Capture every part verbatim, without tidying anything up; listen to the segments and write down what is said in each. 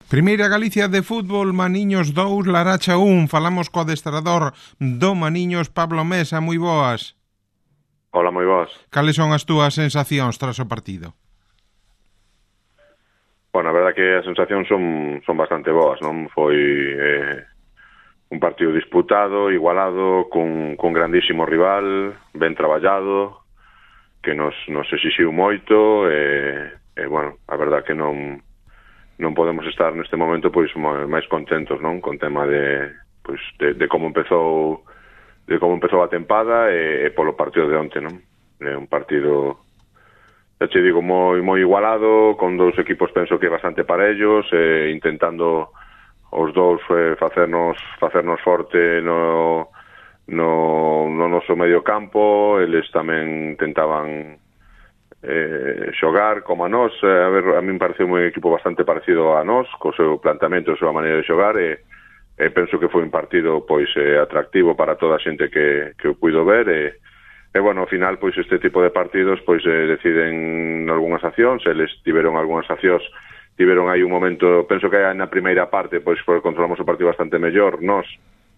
Primeira Galicia de fútbol, Maniños dous, Laracha un. Falamos co adestrador do Maniños, Pablo Mesa, moi boas. Hola, moi boas. Cales son as túas sensacións tras o partido? Bueno, a verdad que as sensacións son, son bastante boas, non? Foi eh, un partido disputado, igualado, cun, cun grandísimo rival, ben traballado, que nos, nos exixiu moito, e, e bueno, a verdad que non... non podemos estar neste momento pois máis contentos, non, con tema de pois de, de como empezou de como empezou a tempada e, e polo partido de onte, non? É un partido, xa che digo, moi moi igualado, con dous equipos penso que bastante parellos, e intentando os dous eh, facernos facernos forte no no no noso medio campo. Eles tamén intentaban Eh, xogar como a nós. eh, a ver, a mí me pareceu un equipo bastante parecido a nós, co seu plantamento, a súa maneira de xogar, e, e penso que foi un partido pois eh, atractivo para toda a xente que, que o puido ver, e, e bueno, ao final pois este tipo de partidos pois eh, deciden algunhas accións. Eles tiveron algunhas accións, tiveron aí un momento, penso que na primeira parte pois controlamos o partido bastante mellor. Nós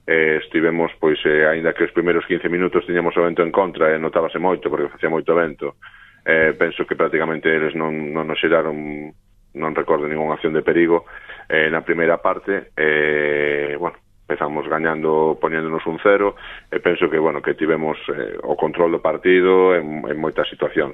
eh, estivemos pois eh, aínda que os primeiros quince minutos tiñamos o vento en contra e notábase moito porque facía moito vento. Eh, penso que prácticamente eles non, non nos xeraron, non recordo ninguna acción de perigo eh, na primeira parte. Eh, bueno, empezamos gañando, poniéndonos un cero, e penso que, bueno, que tivemos eh, o control do partido en, en moitas situacións.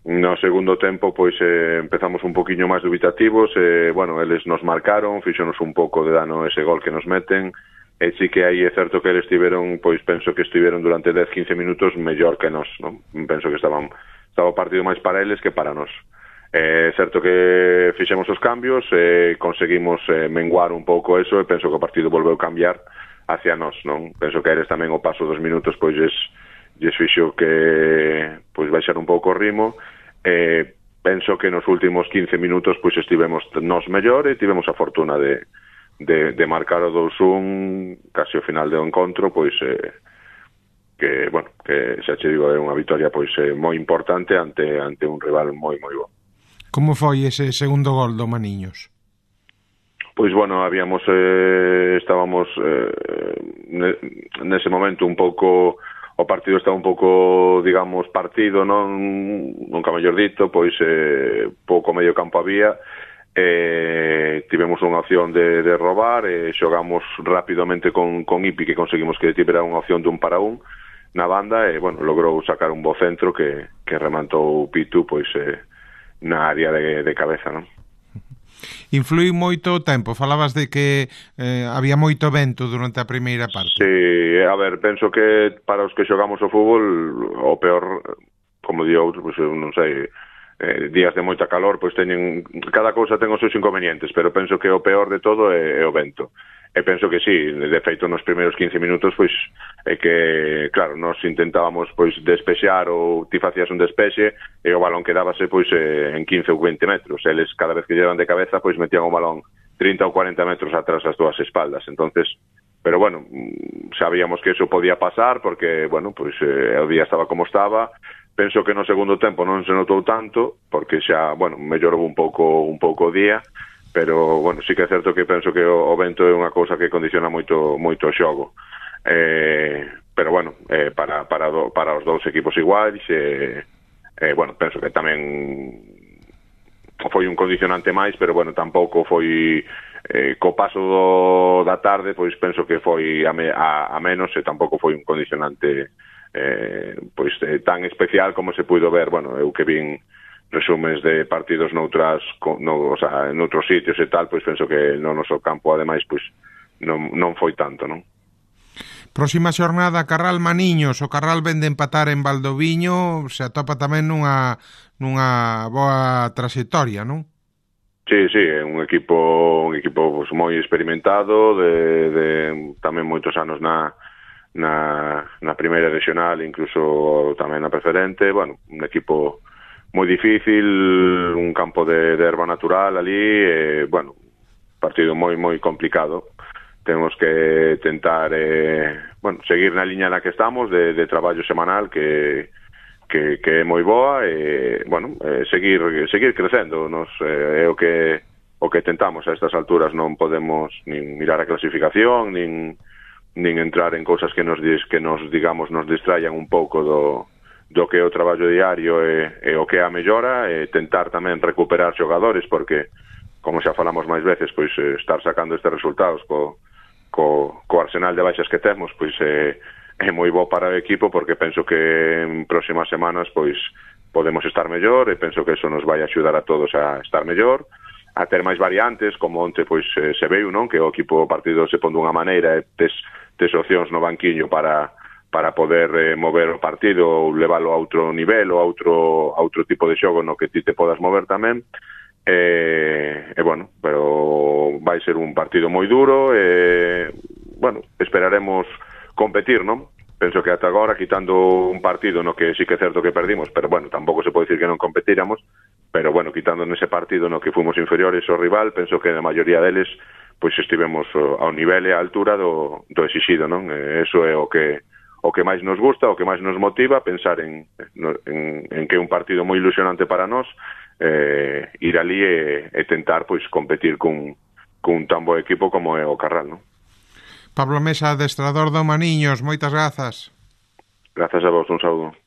No segundo tempo, pois, eh, empezamos un poquinho máis dubitativos, e, eh, bueno, eles nos marcaron, fixonos un pouco de dano ese gol que nos meten, e sí que aí é certo que eles tiveron, pois, penso que estiveron durante dez a quince minutos mellor que nós, non? Penso que estaban estaba o partido máis para eles que para nós. É certo que fixemos os cambios, e conseguimos eh, menguar un pouco eso, e penso que o partido volveu cambiar hacia nós, non? Penso que eles tamén o paso dos minutos pois lles, lles fixo que pois baixar un pouco o ritmo, e penso que nos últimos quince minutos pois estivemos nós mellor, e tivemos a fortuna de, de, de marcar o dous un casi ao final do encontro, pois eh, que, bueno, que xa che digo, é unha vitoria pois eh, moi importante ante ante un rival moi moi bo. Como foi ese segundo gol do Maniños? Pois bueno, habíamos eh, estábamos eh, nese momento un pouco, o partido estaba un pouco, digamos, partido, non, nunca mellor dito, pois eh, pouco medio campo había. Eh, tivemos unha opción de, de robar, e xogamos rapidamente con, con Ipi, que conseguimos que tivera unha opción dun para un na banda, e, bueno, logrou sacar un bo centro que, que remantou Pitu, pois, eh, na área de, de cabeza, non? Influi moito o tempo, falabas de que eh, había moito vento durante a primeira parte. Sí, a ver, penso que para os que xogamos o fútbol, o peor, como di outro, pois, non sei, eh, días de moita calor, pois teñen, cada cousa ten os seus inconvenientes, pero penso que o peor de todo é, é o vento. E penso que sí, de feito nos primeiros quince minutos, pois, é que, claro, nos intentábamos, pois, despexar, ou ti facías un despexe, e o balón quedábase, pois, en quince ou vinte metros. Eles, cada vez que llevan de cabeza, pois, metían o balón trinta ou cuarenta metros atrás das túas espaldas. Entonces, pero bueno, sabíamos que eso podía pasar, porque, bueno, pois, eh, o día estaba como estaba. Penso que no segundo tempo non se notou tanto, porque xa, bueno, mellorou un pouco un pouco o día, pero, bueno, sí que é certo que penso que o, o vento é unha cousa que condiciona moito moito o xogo. Eh, pero, bueno, eh, para, para, do, para os dous equipos iguais, eh, eh, bueno, penso que tamén foi un condicionante máis, pero, bueno, tampouco foi, eh, co paso do, da tarde, pois penso que foi a, me, a, a menos, e tampouco foi un condicionante eh, pois eh, tan especial como se puido ver. Bueno, eu que vin resumes de partidos noutras, no, o sea, en outros sitios e tal, pois penso que no noso campo, ademais, pois non, non foi tanto, non? Próxima xornada, Carral Maniños. O Carral ven de empatar en Valdoviño, se atopa tamén nunha, nunha boa trayectoria, non? Sí, sí, é un equipo un equipo pues, moi experimentado, de, de tamén moitos anos na na, na primeira regional, incluso tamén na preferente. Bueno, un equipo moi difícil, un campo de, de erva natural ali, e, bueno, partido moi, moi complicado. Temos que tentar, eh, bueno, seguir na liña na que estamos, de, de traballo semanal, que, que, que é moi boa, e, bueno, eh, seguir, seguir crecendo. Nos, eh, é o que, o que tentamos a estas alturas. Non podemos nin mirar a clasificación, nin, nin entrar en cousas que nos, que nos digamos, nos distraian un pouco do, do que é o traballo diario e, e o que é a mellora, e tentar tamén recuperar xogadores, porque, como xa falamos máis veces, pois estar sacando estes resultados co, co, co arsenal de baixas que temos, pois é, é moi bo para o equipo, porque penso que en próximas semanas pois podemos estar mellor, e penso que eso nos vai axudar a todos a estar mellor, a ter máis variantes, como onte pois se veu, non? Que o equipo partido se pon dunha maneira e tes, tes opcións no banquiño para, para poder eh, mover o partido ou leválo a outro nivel ou a outro, a outro tipo de xogo no que ti te podas mover tamén. E, e bueno, pero vai ser un partido moi duro e, bueno, esperaremos competir, non? Penso que ata agora, quitando un partido no que sí que é certo que perdimos, pero bueno, tampouco se pode dicir que non competíramos, pero bueno, quitando nese partido no que fomos inferiores ao rival, penso que a maioría deles pois estivemos ao nivel e á altura do, do exixido, non? E eso é o que o que máis nos gusta, o que máis nos motiva, pensar en, en, en que é un partido moi ilusionante para nós, eh, ir ali e, e tentar pois competir cun, cun tan bo equipo como é o Carral, non? Pablo Mesa, adestrador do Maniños, moitas grazas. Grazas a vos, un saúdo.